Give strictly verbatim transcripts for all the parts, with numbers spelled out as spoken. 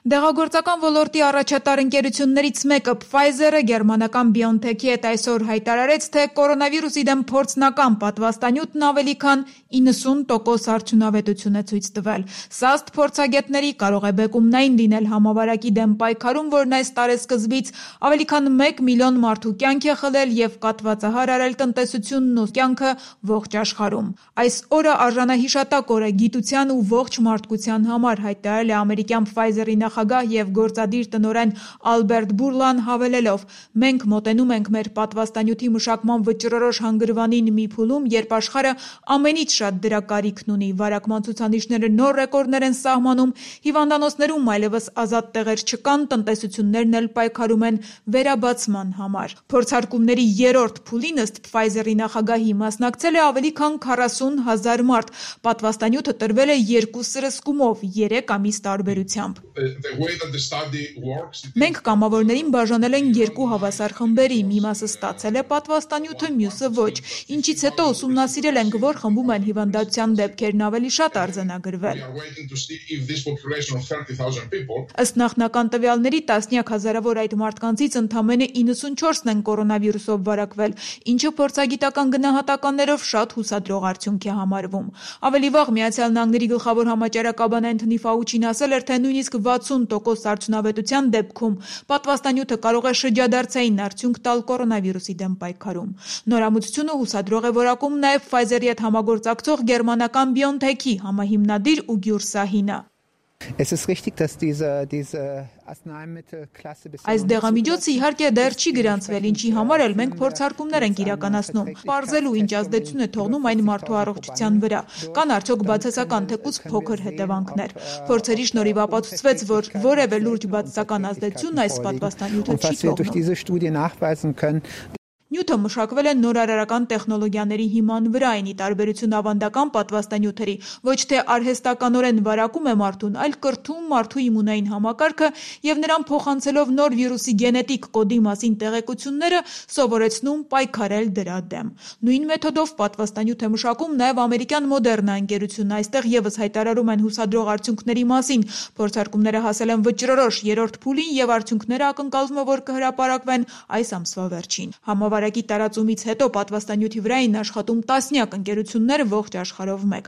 Դեղագործական ոլորտի առաջատար ընկերություններից մեկը Pfizer-ը գերմանական BioNTech-ի հետ այսօր հայտարարեց, թե կորոնավիրուսի դեմ փորձնական պատվաստանյութն ավելի քան իննսուն տոկոս արդյունավետություն է ցույց տվել։ Սա ըստ փորձագետների կարող է բեկումնային լինել համավարակի դեմ պայքարում, որն այս տարեսկզբից ավելի քան մեկ միլիոն մարդու կյանք է խլել եւ կաթվածահար արել տնտեսությունն ու կյանքը ողջ աշխարհում։ Այս օրը արժանահիշատակ օր է գիտության ու ողջ մարդկության համար, հայտարարել է ամերիկյան Pfizer-ի նախագահ եւ գործադիր տնօրեն Ալբերտ Բուրլան հավելելով. «Մենք մոտենում ենք մեր պատվաստանյութի մշակման վճռորոշ հանգրվանին մի փուլում, երբ աշխարհը ամենից շատ դրա կարիքն ունի։ Վարակման ցուցանիշները նոր ռեկորդներ են սահմանում, հիվանդանոցներում այլևս ազատ տեղեր չկան, տնտեսություններն էլ պայքարում են վերաբացման համար»։ Փորձարկումների երրորդ փուլին ըստ Pfizer-ի նախագահի մասնակցել է ավելի քան քառասուն հազար մարդ։ Պատվաստանյութը տրվել է երկու սրսկումով՝ երեք ամիս տարբերությամբ։ Մենք կամավորներին բաժանել ենք երկու հավասար խմբերի, մի մասը ստացել է պատվաստանյութը, մյուսը ոչ, ինչից հետո ուսումնասիրել ենք, որ խմբում են հիվանդության դեպքերն ավելի շատ արձանագրվել։ Ըստ նախնական տվյալների տասնյակ հազարավոր այդ մարդկանցից ընդամենը իննսունչորսն են կորոնավիրուսով վարակվել, ինչը փորձագիտական գնահատականներով շատ հուսադրող արդյունք է համարվում։ Ավելի վաղ Միացյալ Նահանգների գլխավոր համաճարակաբան Էնթոնի Ֆաուչին ասել էր, թե նույնիսկ վաթսուն տոկոս արդյունավետության դեպքում պատվաստանյութը կարող է շրջադարձային արդյունք տալ կորոնավիրուսի դեմ պայքարում։ Նորամուծությունը հուսադրող է որակում նաև Pfizer-ի հետ համագործակցող գերմանական BioNTech-ի համահիմնադիր Ուգյուր Սահինը։ Այս դեղամիջոցը իհարկե դեռ չի գրանցվել, ինչի համար էլ մենք փորձարկումներ ենք իրականացնում, պարզելու ինչ ազդեցություն է թողնում այն մարդու առողջության վրա, կան արդյոք բացասական թեկուզ փոքր հետևանքներ։ Փորձերի շնորհիվ ապացուցվեց, որ որևէ լուրջ բացասական ազդեցություն այս պատվաստանյութը չի թողնում։ Նյութը մշակվել է նորարարական տեխնոլոգիաների հիման վրա, այն ի տարբերություն ավանդական պատվաստանյութերի ոչ թե արհեստականորեն վարակում է մարդուն, այլ կրթում մարդու իմունային համակարգը եւ նրան փոխանցելով նոր վիրուսի գենետիկ կոդի մասին տեղեկությունները սովորեցնում պայքարել դրա դեմ։ Նույն մեթոդով պատվաստանյութ է մշակում նաեւ ամերիկյան Moderna ընկերությունը, այստեղ եւս հայտարարում են հուսադրող արդյունքների մասին։ Փորձարկումները հասել են վճռորոշ երրորդ փուլին եւ արդյունքները ակնկալվում է, որ կհրապարակվեն այս ամսվա վերջին։ Համավարակի տարածումից հետո պատվաստանյութի վրա էին աշխատում տասնյակ ընկերություններ ողջ աշխարհով մեկ։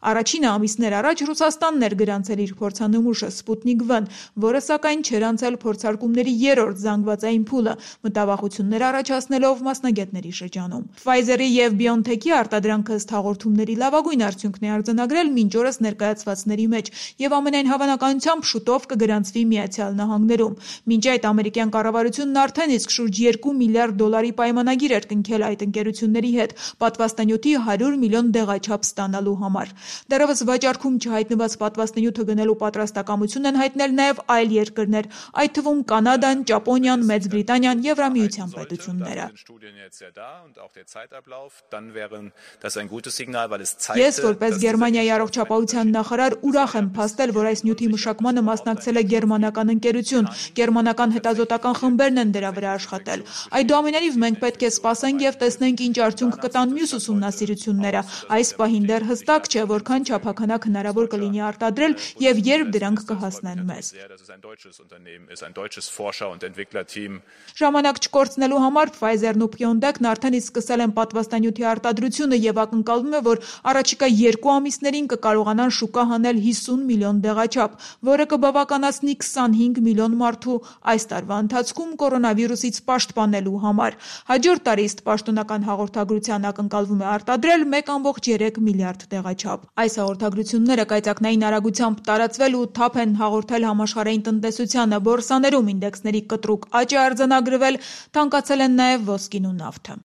Առաջինը ամիսներ առաջ Ռուսաստանն էր գրանցել իր փորձանմուշը Sputnik V, որը սակայն չէր անցել փորձարկումների երրորդ զանգվածային փուլը, մտավախություններ առաջացնելով մասնագետների շրջանում։ Pfizer-ի եւ BioNTech-ի արտադրանքը ըստ հաղորդումների լավագույն արդյունքն է արձանագրել մինչ օրս ներկայացվածների մեջ եւ ամենայն հավանականությամբ շուտով կգրանցվի Միացյալ Նահանգներում։ Մինչ այդ ամերիկյան կառավարությունն արդեն իսկ շուրջ երկու միլիարդ դոլարի պայմանագիր էր կնքել այդ ընկերությունների հետ պատվաստանյութի հարյուր միլիոն դեղաչափ ստանալու համար։ Դեռևս վաճառքում չհայտնված պատվաստանյութը գնելու պատրաստակամություն են հայտնել նաև այլ երկրներ, այդ թվում Կանադան, Ճապոնիան, Մեծ Բրիտանիան, Եվրամիության պետությունները։ Ես որպես Գերմանիայի առողջապահության նախարար ուրախ եմ փաստել, որ այս նյութի մշակմանը մասնակցել է գերմանական ընկերություն, գերմանական հետազոտական խմբերն են դրա վրա աշխատել։ Այդուամենայնիվ մենք պետք է սպասենք եւ տեսնենք ինչ արդյունք կտան մյուս ուսումնասիրությունները։ Այս պահին դեռ հստակ չէ, որքան չափականակ հնարավոր կլինի արտադրել եւ երբ դրանք կհասնեն մեզ։ Ժամանակ չկորցնելու համար Pfizer-ն ու BioNTech-ն արդեն իսկ սկսել են պատվաստանյութի արտադրությունը եւ ակնկալվում է, որ առաջիկա երկու ամիսներին կկարողանան շուկա հանել հիսուն միլիոն դեղաչափ, որը կբավականացնի քսանհինգ միլիոն մարդու այս տարվա ընթացքում կորոնավիրուսից պաշտպանելու համար։ Հաջորդ տարի ըստ պաշտոնական հաղորդագրության ակնկալվում է արտադրել մեկ կόμma երեք միլիարդ դեղաչափ։ Այս հաղորդագրությունները կայծակնային արագությամբ տարածվել ու թափ են հաղորդել համաշխարհային տնտեսությանը, բորսաներում ինդեքսների կտրուկ աճ է արձանագրվել, թանկացել են նաև ոսկին ու նավթը։